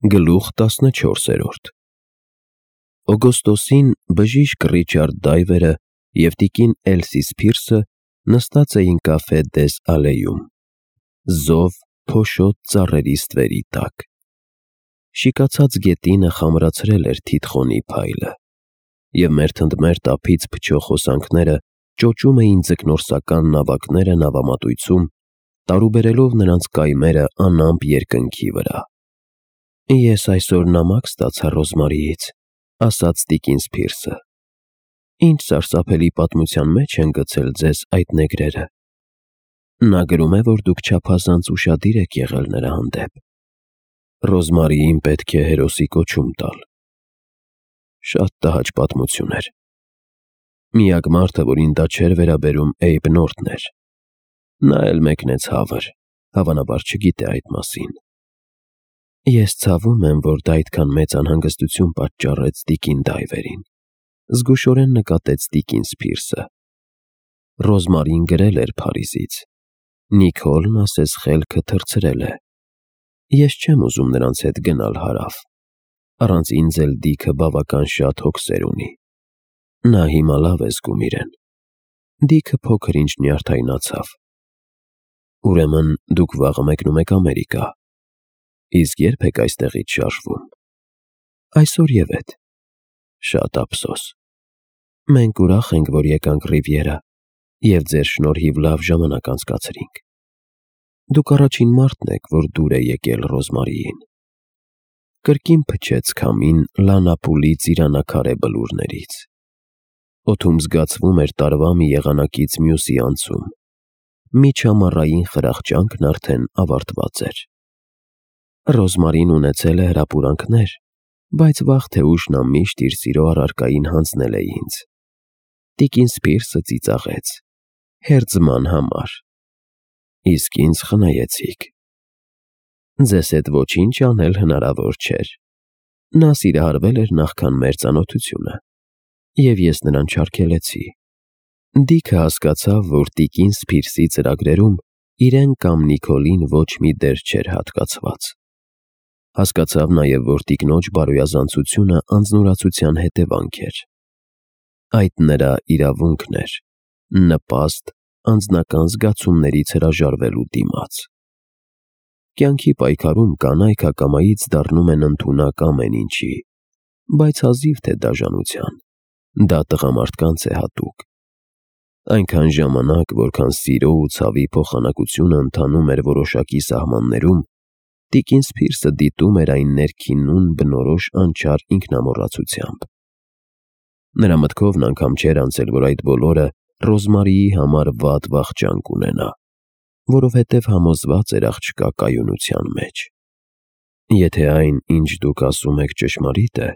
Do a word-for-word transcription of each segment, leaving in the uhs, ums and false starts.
Գլուխ տասնչորսերորդ Օգոստոսին բժիշկ Ռիչարդ Դայվերը և տիկին Էլսի Սփիրսը նստած էին կաֆե Դես Ալեյում, զով փոշոտ ծառերի ստվերի տակ։ Շիկացած գետինը խամրացրել էր թիթխոնի փայլը, և մերթընդմերթ ափից փչող հոսանքները ճոճում էին ձկնորսական նավակները նավամատույցում, տարուբերելով նրանց կայմերը անամպ երկնքի վրա։ «Ես այսօր նամակ ստացա Ռոզմարիից», ասաց տիկին Սփիրսը։ «Ինչ սարսափելի պատմության մեջ են գցել ձեզ այդ նեգրերը։ Նա գրում է, որ դուք չափազանց ուշադիր եք եղել նրա հանդեպ»։ Ռոզմարիին պետք է հերոսի կոչում տալ։ Շատ տհաճ պատմություն էր։ Միակ մարդը, որին դա չէր վերաբերում, Էյբ Նորթն էր։ Նա էլ մեկնեց հավր, հավանաբար չգիտե այդ մասին։ «Ես ցավում եմ, որ դա այդքան մեծ անհանգստություն պատճառեց տիկին Դայվերին», զգուշորեն նկատեց տիկին Սփիրսը։ Ռոզմարին գրել էր Փարիզից։ Նիկոլն ասես խելքը թռցրել է։ Ես չեմ ուզում նրանց հետ գնալ հարավ։ Առանց ինձ էլ Դիքը բավական շատ հոգսեր ունի։ Նա հիմա լավ է զգում իրեն։ Դիքը փոքր-ինչ նյարդայնացավ։ «Ուրեմն դուք վաղը մեկնում եք Ամերիկա։ Իսկ ե՞րբ եք այստեղից շարժվում»։ «Այսօրևեթ»։ «Շատ ափսոս։ Մենք ուրախ ենք, որ եկանք Ռիվիերա և ձեր շնորհիվ լավ ժամանակ անցկացրինք։ Դուք առաջին մարդն եք, որ դուր է եկել Ռոզմարիին»։ Կրկին փչեց քամին Լանապուլի ծիրանակարե բլուրներից։ Օդում զգացվում էր տարվա մի եղանակից մյուսի անցում։ Միջամառային խրախճանքն արդեն ավարտված էր։ Ռոզմարին ունեցել է հրապուրանքներ, բայց վաղ թե ուշ նա միշտ իր սիրո առարկային հանձնել է ինձ։ Տիկին Սփիրսը ծիծաղեց։ «Հերձման համար»։ «Իսկ ինձ խնայեցիք»։ «Ձեզ հետ ոչինչ անել հնարավոր չէր։ Նա սիրահարվել էր նախքան մեր ծանոթությունը, և ես նրան չարգելեցի»։ Դիքը հասկացավ, որ տիկին Սփիրսի ծրագրերում իրեն կամ Նիկոլին ոչ մի դեր չէր հատկացված։ Հասկացավ նաև, որ տիկնոջ բարոյազանցությունը անձնուրացության հետևանք էր։ Այդ նրա իրավունքն էր՝ նպաստ անձնական զգացումներից հրաժարվելու դիմաց։ Կյանքի պայքարում կանայք ակամայից դառնում են ընդունակ ամեն ինչի, բայց հազիվ թե դաժանության։ Դա տղամարդկանց է հատուկ։ Այնքան ժամանակ, որքան սիրո ու ցավի փոխանակությունը ընթանում էր որոշակի սահմաններում, տիկին Սփիրսը դիտում էր այն ներքինուն բնորոշ անչափ ինքնամոռացությամբ։ Նրա մտքովն անգամ չէր անցել, որ այդ բոլորը Ռոզմարիի համար վատ վախճան կունենա, որովհետև համոզված էր աղջկա կայունության մեջ։ Եթե այն, ինչ դուք ասում եք, ճշմարիտ է,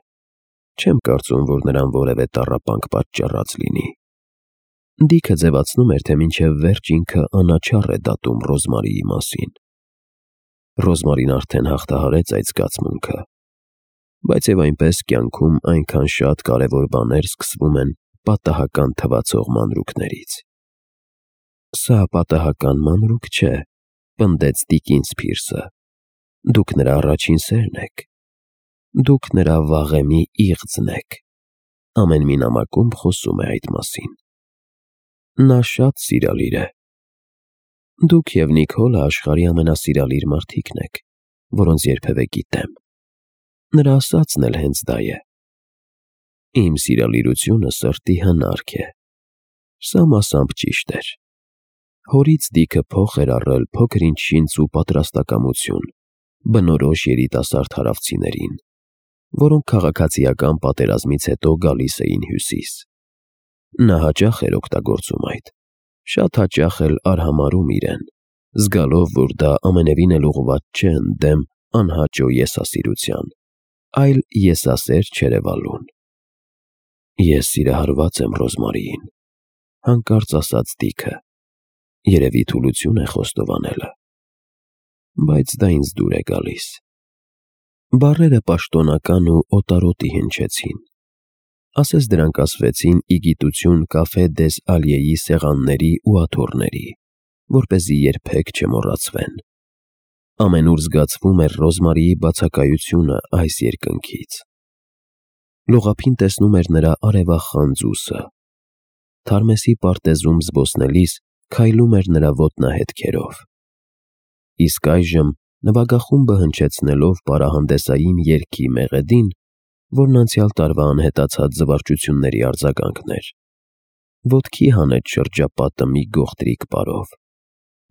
չեմ կարծում, որ նրան որևէ տառապանք պատճառած լինի։ Դիքը ձևացնում էր, թե մինչև վերջ ինքը անաչառ է դատում Ռոզմարիի մասին։ Ռոզմարին արդեն հաղթահարեց այդ զգացմունքը, բայց և այնպես կյանքում այնքան շատ կարևոր բաներ սկսվում են պատահական թվացող մանրուքներից։ «Սա պատահական մանրուք չէ», պնդեց տիկին Սփիրսը։ «Դուք նրա առաջին սերն եք։ Դուք նրա վաղեմի իղձն եք։ Ամեն մի նամակում խոսում է այդ մասին։ Նա շատ սիրալիր է։ Դուք և Նիկոլը աշխարհի ամենասիրալիր մարդիկն եք, որոնց երբևէ գիտեմ։ Նրա ասածն էլ հենց դա է։ Իմ սիրալիրությունը սրտի հնարք է»։ Սա մասամբ ճիշտ էր։ Հորից Դիքը փոխ էր առել փոքր-ինչ շինծ ու պատրաստակամություն, բնորոշ երիտասարդ հարավցիներին, որոնք քաղաքացիական պատերազմից հետո գալիս էին Հյուսիս։ Նա հաճախ էր օգտագործում այդ, շատ հաճախ էլ արհամարհում իրեն, զգալով, որ դա ամենևին էլ ուղղված չէ ընդդեմ անհաճո եսասիրության, այլ եսասեր չերևալուն։ «Ես սիրահարված եմ Ռոզմարիին», հանկարծ ասաց Դիքը։ Երևի թուլություն է խոստովանելը։ Բայց դա ինձ դուր է գալիս։ Բառերը պաշտոնական ու օտարոտի հնչեցին։ Ասես դրանք ասվեցին ի գիտություն կաֆե Դես Ալեյի սեղանների ու աթոռների, որպեսզի երբեք չմոռացվեն։ Ամենուր զգացվում էր Ռոզմարիի բացակայությունը այս երկնքից։ Լողափին տեսնում էր նրա արևախան ձուսը։ Թարմեսի պարտեզում զբոսնելիս քայլում էր նրա ոտնահետքերով։ Իսկ այժմ նվագախումբը հնչեցնելով պարահանդեսային երգի մեղեդին, որն անցյալ տարվա անհետացած զվարճությունների արձագանքն էր, ոտքի հանեց շրջապատը մի գողտրիկ պարով,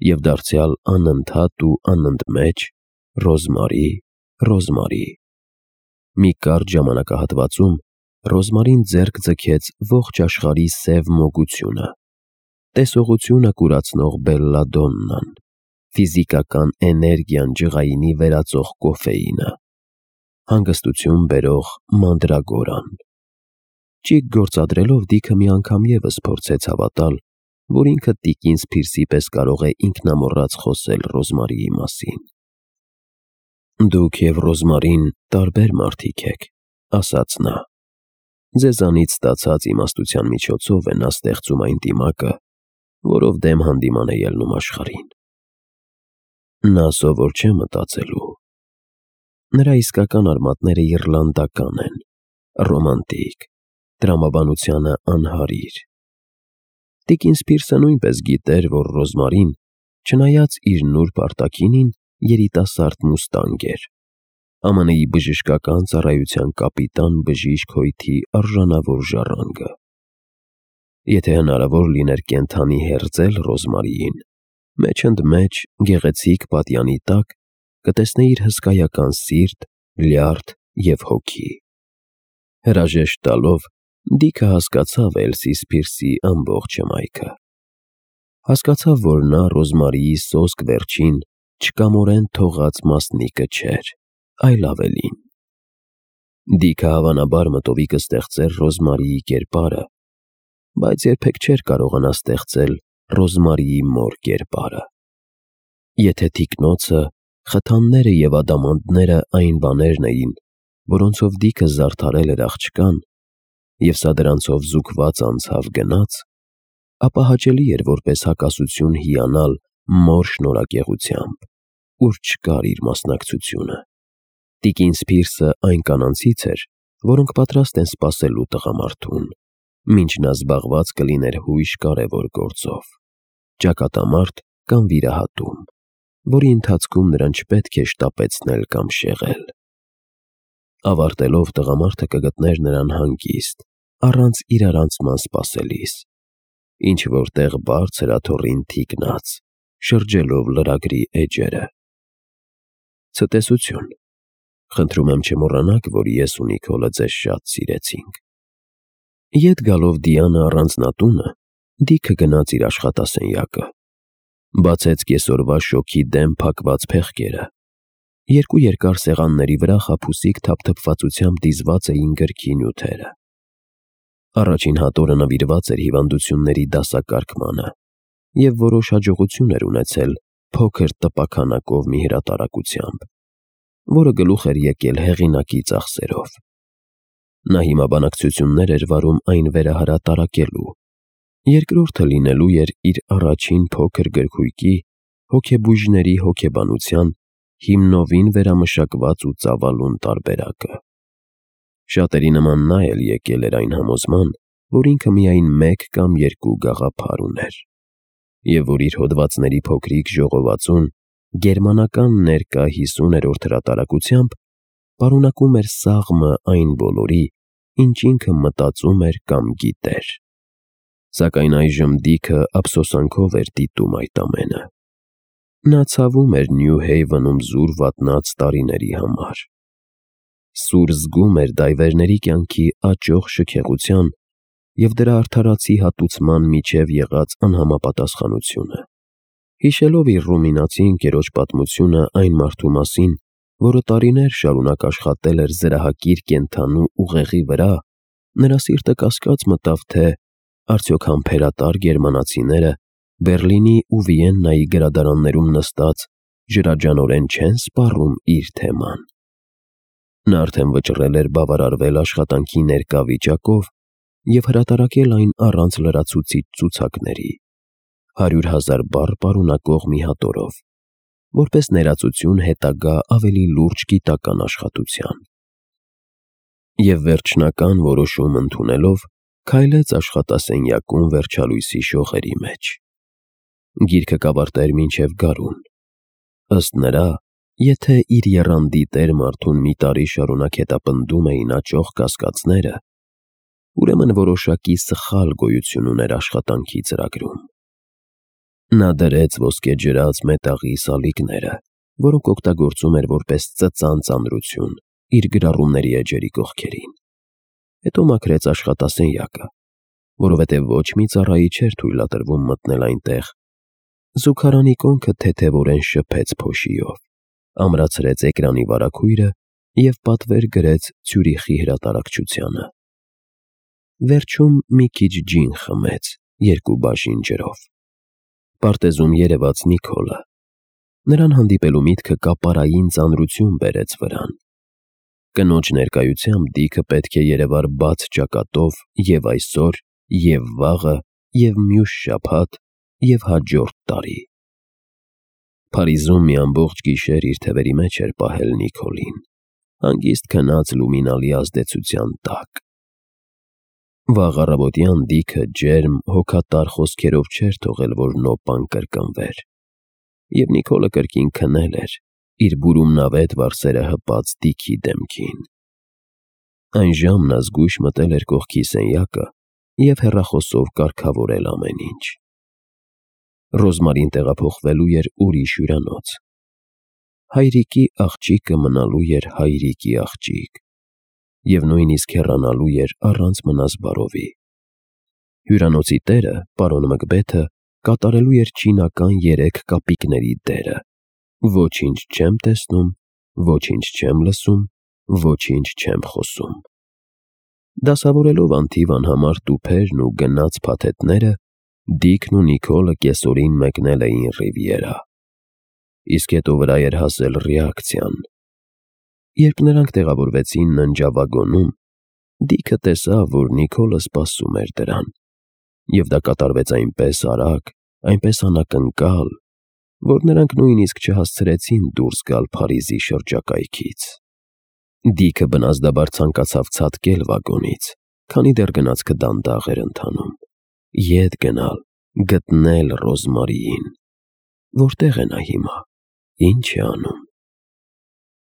և դարձյալ անընդհատ ու անընդմեջ Ռոզմարի, Ռոզմարի։ Մի կարճ ժամանակահատվածում Ռոզմարին ձեռք ձգեց ողջ աշխարհի սև մոգությունը, տեսողությունը կուրացնող բելլադոննան, ֆիզիկական էներգիան ջղայինի վերածող կոֆեինը, հանգստություն բերող մանդրագորան։ Ճիգ գործադրելով Դիքը մի անգամ ևս փորձեց հավատալ, որ ինքը տիկին Սփիրսի պես կարող է ինքնամոռաց խոսել Ռոզմարիի մասին։ «Դուք և Ռոզմարին տարբեր մարդիկ եք», ասաց նա։ «Ձեզանից ստացած իմաստության միջոցով է նա ստեղծում այն դիմակը, որով դեմ հանդիման է ելնում աշխարհին։ Նա սովոր չէ մտածելու։ Նրա իսկական արմատները իռլանդական են, ռոմանտիկ, տրամաբանությանը անհարիր։ Տիկին Սփիրսը նույնպես գիտեր, որ Ռոզմարին, չնայած իր նուրբ արտաքինին, երիտասարդ մուստանգ էր, ԱՄՆ-ի բժշկական ծառայության կապիտան բժիշկ հոյթի արժանավոր ժառանգը։ Եթե հնարավոր լիներ կենդանի հերձել Ռոզմարիին, մեջընդմեջ գեղեցիկ պատյանի տակ կտեսնեիր հսկայական սիրտ, լյարդ և հոգի»։ Հրաժեշտ տալով Դիքը հասկացավ Էլսի Սփիրսի ամբողջ հմայքը։ Հասկացավ, որ նա Ռոզմարիի սոսկ վերջին, չկամորեն թողած մասնիկը չէր, այլ ավելին։ Դիքը հավանաբար մտովի կստեղծեր Ռոզմարիի կերպարը, բայց երբեք չէր կարողանա ստեղծել Ռոզմարիի մոր կերպարը։ Եթե թիկնոցը, խթանները և ադամանդները այն բաներն էին, որոնցով Դիքը զարդարել էր աղջկան, և սա դրանցով զուգված անցավ գնաց, ապա հաճելի էր որպես հակասություն հիանալ մոր շնորհակեղությամբ, ուր չկար իր մասնակցությունը։ Տիկին Սփիրսը այն կանանցից էր, որոնք պատրաստ են սպասելու տղամարդուն, մինչ նա զբաղված կլիներ հույժ կարևոր գործով, ճակատամարտ կամ վիրահատում, որի ընթացքում նրան չպետք է շտապեցնել կամ շեղել։ Ավարտելով տղամարդը կգտներ նրան հանգիստ, առանց իրարանցման սպասելիս, ինչ-որ տեղ բարձր աթոռին թիկնած, շրջելով լրագրի էջերը։ Ցտեսություն։ Խնդրում եմ չմոռանաք, որ ես ու Նիկոլը ձեզ շատ սիրեցինք։ Ետ գալով Դիանը առանձնատունը, Դիքը գնաց իր աշխատասենյակը, բացեց կեսօրվա շոգի դեմ փակված փեղկերը։ Երկու երկար սեղանների վրա խաբուսիկ թափթփվածությամբ դիզված էին գրքի նյութերը։ Առաջին հատորը նվիրված էր հիվանդությունների դասակարգմանը և որոշ հաջողություն էր ունեցել փոքր տպաքանակով մի հրատարակությամբ, որը գլուխ էր եկել հեղինակի ծախսերով։ Նա հիմա բանակցություններ էր վարում այն վերահրատարակելու, երկրորդը լինելու էր իր առաջին փոքր գրքույկի հոգեբույժների հոգեբանության հիմնովին վերամշակված ու ծավալուն տարբերակը։ Շատերի նման նա էլ եկել էր այն համոզման, որ ինքը միայն մեկ կամ երկու գաղափար ուներ, և որ իր հոդվածների փոքրիկ ժողովածուն գերմանական ներկա հիսուներորդ հրատարակությամբ պարունակում էր սաղմը այն բոլորի, ինչ ինքը մտածում էր կամ գիտեր։ Սակայն այժմ Դիքը ափսոսանքով էր դիտում այդ ամենը։ Նա ցավում էր Նյու Հեյվենում զուր վատնած տարիների համար։ Սուր զգում էր դայվերների կյանքի աճող շքեղության և դրա արդարացի հատուցման միջև եղած անհամապատասխանությունը։ Հիշելով իր ռումինացի ընկերոջ պատմությունը այն մարդու մասին, որը տարիներ շարունակ աշխատել էր զրահակիր կենդանու ուղեղի վրա, նրա սիրտը կասկած մտավ, թե արդյոք համբերատար գերմանացիները Բեռլինի ու Վիեննայի գրադարաններում նստած ջրաջանորեն չեն սպառում իր թեման։ Նա արդեն վճռել էր բավարարվել աշխատանքի ներկա վիճակով և հրատարակել այն առանց լրացուցիչ ցուցակների, հարյուր հազար բառ պարունակող մի հատորով, որպես ներածություն հետագա ավելի լուրջ գիտական աշխատության։ Եվ վերջնական որոշում ընդունելով, քայլեց աշխատասենյակում վերջալույսի շողերի մեջ։ Գիրքը կավարտեր մինչև գարուն։ Ըստ նրա, եթե իր եռանդի տեր մարդուն մի տարի շարունակ հետապնդում էին աճող կասկածները, ուրեմն որոշակի սխալ գոյություն ուներ աշխատանքի ծրագրում։ Նա դրեց ոսկեջրած մետաղի սալիկները, որոնք օգտագործում էր որպես ծծան ծանրություն, իր գրառումների էջերի կողքերին։ Հետո մաքրեց աշխատասենյակը, որովհետև ոչ մի ծառայի չէր թույլատրվում մտնել այնտեղ։ Զուգարանի կոնքը թեթևորեն շփեց փոշիով, ամրացրեց էկրանի վարագույրը և պատվեր գրեց Ցյուրիխի հրատարակչությանը։ Վերջում մի քիչ ջին խմեց երկու բաժին ջրով։ Պարտեզում երևաց Նիկոլը։ Նրան հանդիպելու միտքը կապարային ծանրություն բերեց վրան։ Կնոջ ներկայությամբ Դիքը պետք է երևար բաց ճակատով և այսօր, և վաղը, և մյուս շաբաթ, և հաջորդ տարի։ Փարիզում մի ամբողջ գիշեր իր թևերի մեջ էր պահել Նիկոլին, հանգիստ քնած լումինալի ազդեցության տակ։ Վաղ առավոտյան Դիքը ջերմ, հոգատար խոսքերով չէր թողել, որ նոպան կրկնվեր, և Նիկոլը կրկին քնել էր, իր բուրումնավետ վարսերը հպած Դիքի դեմքին։ Այն ժամն նա զգույշ մտել էր կողքի սենյակը և հեռախոսով կարգավորել ամեն ինչ։ Ռոզմարին տեղափոխվելու էր ուրիշ հյուրանոց։ Հայրիկի աղջիկը մնալու էր հայրիկի աղջիկ և նույնիսկ հեռանալու էր առանց մնազբարովի։ Հյուրանոցի տերը, պարոն Մկբեթը, կատարելու էր չինական երեք կապիկների դերը. «Ոչինչ չեմ տեսնում, ոչինչ չեմ լսում, ոչինչ չեմ խոսում»։ Դասավորելով անթիվ անհամար տուփերն ու գնաց փաթեթները, Դիքն ու Նիկոլը կեսօրին մեկնել էին Ռիվիերա։ Իսկ հետո վրա էր հասել ռեակցիան։ Երբ նրանք տեղավորվեցին ննջավագոնում, Դիքը տեսավ, որ Նիկոլը սպասում էր դրան, և դա կատարվեց այնպես արագ, այնպես անակնկալ, որ նրանք նույնիսկ չհասցրեցին դուրս գալ Փարիզի շրջակայքից։ Դիքը բնազդաբար ցանկացավ ցատկել վագոնից, քանի դեռ գնացքը դանդաղ էր ընթանում, ետ գնալ, գտնել Ռոզմարիին։ Որտե՞ղ է նա հիմա, ի՞նչ է անում։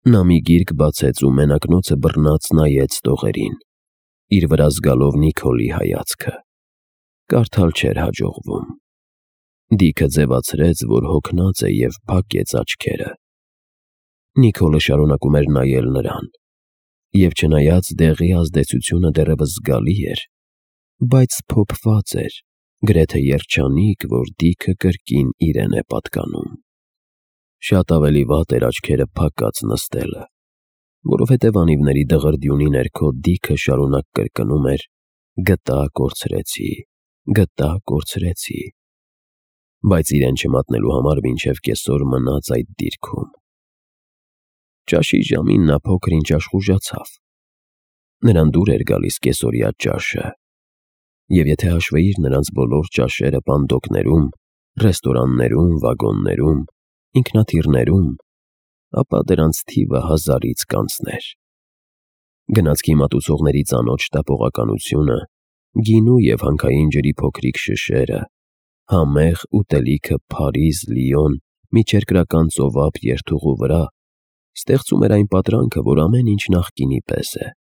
Նա մի գիրք բացեց ու մենակնոցը բռնած նայեց տողերին, իր վրա զգալով Նիկոլի հայացքը։ Կարդալ չէր հաջողվում։ Դիքը ձևացրեց, որ հոգնած է, և փակեց աչքերը։ Նիկոլը շարունակում էր նայել նրան, և չնայած դեղի ազդեցությունը դեռևս զգալի էր, բայց սփոփված էր, գրեթե երջանիկ, որ Դիքը կրկին իրեն է պատկանում։ Շատ ավելի վատ էր աչքերը փակած նստելը, որովհետև անիվների դղրդյունի ներքո Դիքը շարունակ կրկնում էր. «Գտա, կորցրեցի, գտա, կորցրեցի», բայց իրեն չմատնելու համար մինչև կեսօր մնաց այդ դիրքում։ Ճաշի ժամին նա փոքր-ինչ աշխուժացավ։ Նրան դուր էր գալիս կեսօրյա ճաշը, և եթե հաշվեիր նրանց բոլոր ճաշերը պանդոկներում, ռեստորաններում, վագոններում, ինքնաթիռներում, ապա դրանց թիվը հազարից կանցներ։ Գնացքի մատուցողների ծանոթ շտապողականությունը, գինու և հանքային ջրի փոքրիկ շշերը, համեղ ուտելիքը Փարիզ, Լիոն, միջերկրական ծովափ երթուղու վրա ստեղծում էր այն պատրանքը, որ ամեն ինչ նախկինի պես է։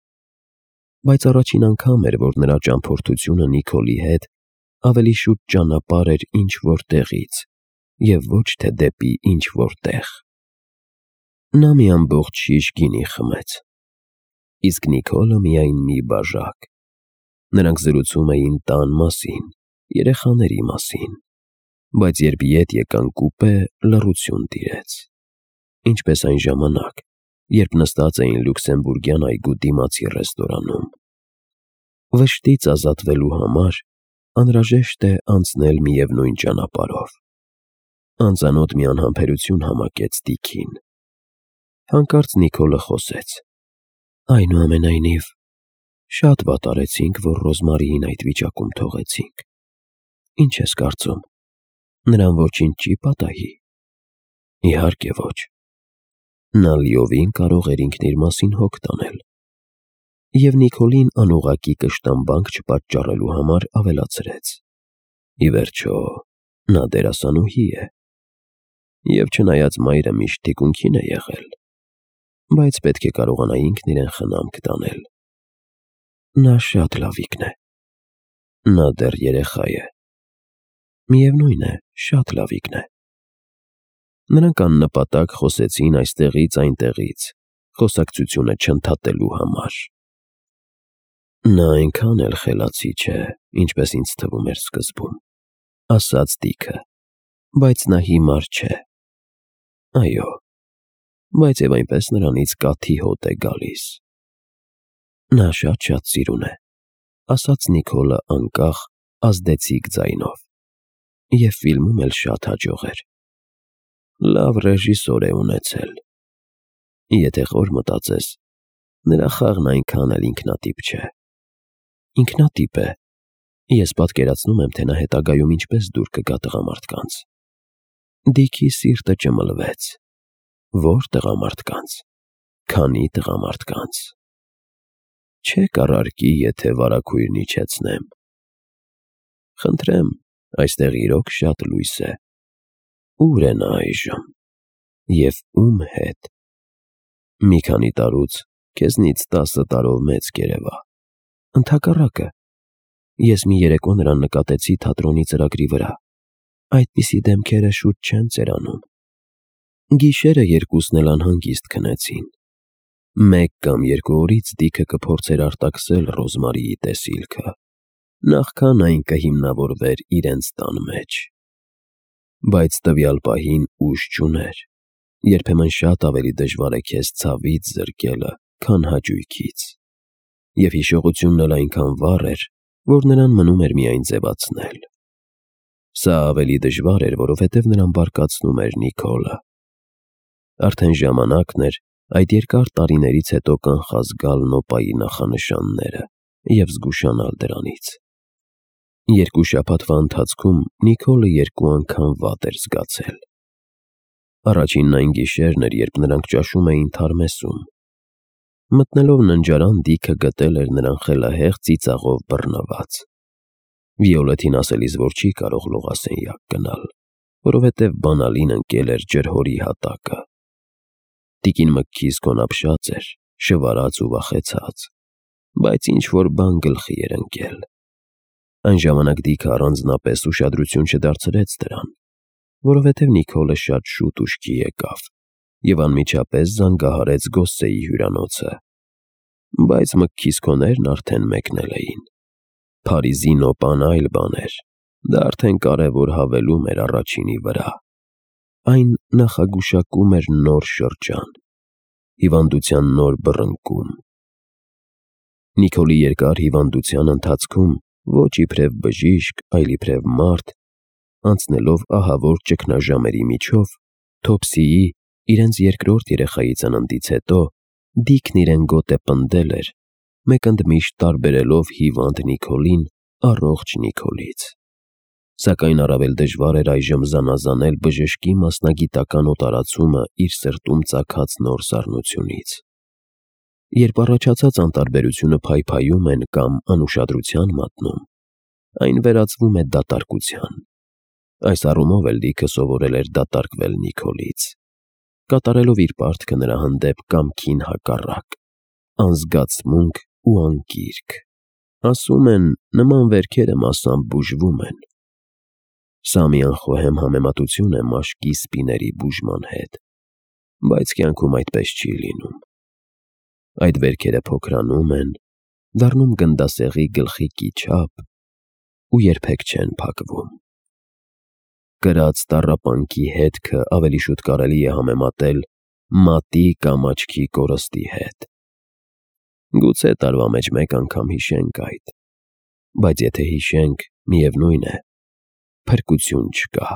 Բայց առաջին անգամ էր, որ նրա ճամփորդությունը Նիկոլի հետ ավելի շուտ ճանապարհ էր ինչ-որ տեղից, և ոչ թե դեպի ինչ-որ տեղ։ Նա մի ամբողջ շիշ գինի խմեց, իսկ Նիկոլը միայն մի բաժակ։ Նրանք զրուցում էին տան մասին, երեխաների մասին, բայց երբ ետ եկան կուպե, լռություն տիրեց, ինչպես այն ժամանակ, երբ նստած էին լյուքսեմբուրգյան այգու դիմացի ռեստորանում։ Վշտից ազատվելու համար անհրաժեշտ է անցնել միևնույն ճանապարհով։ Անծանոթ մի անհամբերություն համակեց Դիքին։ Հանկարծ Նիկոլը խոսեց. «Այնուամենայնիվ, շատ վատ արեցինք, որ Ռոզմարիին այդ վիճակում թողեցինք։ Ինչ ես կարծում, նրան ոչինչ չի պատահի»։ Իհարկե ոչ։ Նա լիովին կարող էր ինքն իր մասին հոգ տանել։ Եվ Նիկոլին անուղղակի կշտամբանք չպատճառելու համար ավելացրեց. Ի վերջո, նա դերասանուհի է։ Եվ չնայած մայրը միշտ թիկունքին է եղել, բայց պետք է կարողանա ինքն իրեն խնամք տանել։ Նա շատ լավիկն է։ Նա դեռ երեխա է։ Միևնույն է, շատ լավիկն է։ Նրանք աննպատակ խոսեցին այստեղից այնտեղից, խոսակցությունը չընդհատելու համար։ Նա այնքան էլ խելացի չէ, ինչպես ինձ թվում էր սկզբում, ասաց Դիքը, բայց նա հիմար չէ։ Այո, բայց և այնպես նրանից կաթի հոտ է գալիս։ Նա շատ-շատ սիրուն է, ասաց Նիկոլը անկախ, ազդեցիկ ձայնով, և ֆիլմում էլ շատ հաջող էր։ Լավ ռեժիսոր է ունեցել։ Եթե խոր մտածես, նրա խաղն այնքան էլ ինքնատիպ չէ։ Ինքնատիպ է։ Ես պատկերացնում եմ, թե նա հետագայում ինչպես դուր կգա տղամարդկանց։ Դիքի սիրտը ճմլվեց։ Ո՞ր տղամարդկանց։ Քանի տղամարդկանց։ Չեք առարկի, եթե վարագույրն իջեցնեմ։ Խնդրեմ, այստեղ իրոք շատ լույս է։ Ո՞ւր է նա այժմ։ Եվ ո՞ւմ հետ։ Մի քանի տարուց քեզնից տասը տարով մեծ կերևա։ Ընդհակառակը, ես մի երեկո նրան նկատեցի թատրոնի ծրագրի վրա։ Այդպիսի դեմքերը շուտ չեն ծերանում։ Գիշերը երկուսն էլ անհանգիստ քնեցին։ Մեկ կամ երկու օրից Դիքը կփորձեր արտաքսել Ռոզմարիի տեսիլքը, նախքան այն կհիմնավորվեր իրենց տան մեջ։ Բայց տվյալ պահին ուժ չուներ։ Երբեմն շատ ավելի դժվար է քեզ ցավից զրկելը, քան հաճույքից։ Եվ հիշողությունն էլ այնքան վառ էր, որ նրան մնում էր միայն ձևացնել։ Սա ավելի դժվար էր, որովհետև նրան բարկացնում էր Նիկոլը։ Արդեն ժամանակն էր այդ երկար տարիներից հետո կանխազգալ Նոպայի նախանշանները և զգուշանալ դրանից։ Երկու շաբաթվա ընթացքում Նիկոլը երկու անգամ վատ էր զգացել։ Առաջինն այն գիշերն էր, երբ նրանք ճաշում էին թարմեսում։ Մտնելով ննջարան, Դիքը գտել էր նրան խելահեղ ծիծաղով բռնված։ Վիոլետին ասելիս, որ չի կարող լողասենյակ գնալ, որովհետև բանալին ընկել էր ջրհորի հատակը։ Տիկին Մքքիսկոն ապշած էր, շվարած ու վախեցած, բայց ինչ-որ բան գլխի էր ընկել։ Այն ժամանակ Դիքը առանձնապես ուշադրություն չդարձրեց դրան, որովհետև Նիկոլը շատ շուտ ուշքի եկավ և անմիջապես զանգահարեց Գոսսեի հյուրանոցը։ Բայց Մքքիսկոներն արդեն մեկնել էին։ Փարիզի Նոպան այլ բան էր, դա արդեն կարևոր հավելում էր առաջինի վրա։ Այն նախագուշակում էր նոր շրջան, հիվանդության նոր բռնկում։ Նիկոլի երկար հիվանդության ընթացքում ոչ իբրև բժիշկ, այլ իբրև մարդ, անցնելով ահավոր ճգնաժամերի միջով, Թոփսիի, իրենց երկրորդ երեխայի ծննդից հետո, Դիքն իրեն գոտե պնդել էր, մեկընդմիշտ տարբերելով հիվանդ Նիկոլին առողջ Նիկոլից։ Սակայն առավել դժվար էր այժմ զանազանել բժշկի մասնագիտական օտարացումը իր սրտում ծագած նոր սառնությունից։ Երբ առաջացած անտարբերությունը փայփայում են կամ անուշադրության մատնում, այն վերածվում է դատարկության։ Այս առումով էլ Դիքը սովորել էր դատարկվել Նիկոլից, կատարելով իր պարտքը նրա հանդեպ կամքին հակառակ, անզգացմունք ու անկիրք։ Ասում են, նման վերքերը մասամբ բուժվում են։ Սա մի անխոհեմ համեմատություն է մաշկի սպիների բուժման հետ, բայց կյանքում այդպես չի լինում։ Այդ վերքերը փոքրանում են, դառնում գնդասեղի գլխիկի չափ ու երբեք չեն փակվում։ Կրած տառապանքի հետքը ավելի շուտ կարելի է համեմատել մատի կամ աչքի կորստի հետ։ Գուցե տարվա մեջ մեկ անգամ հիշենք այդ, բայց եթե հիշենք, միևնույն է, փրկություն չկա։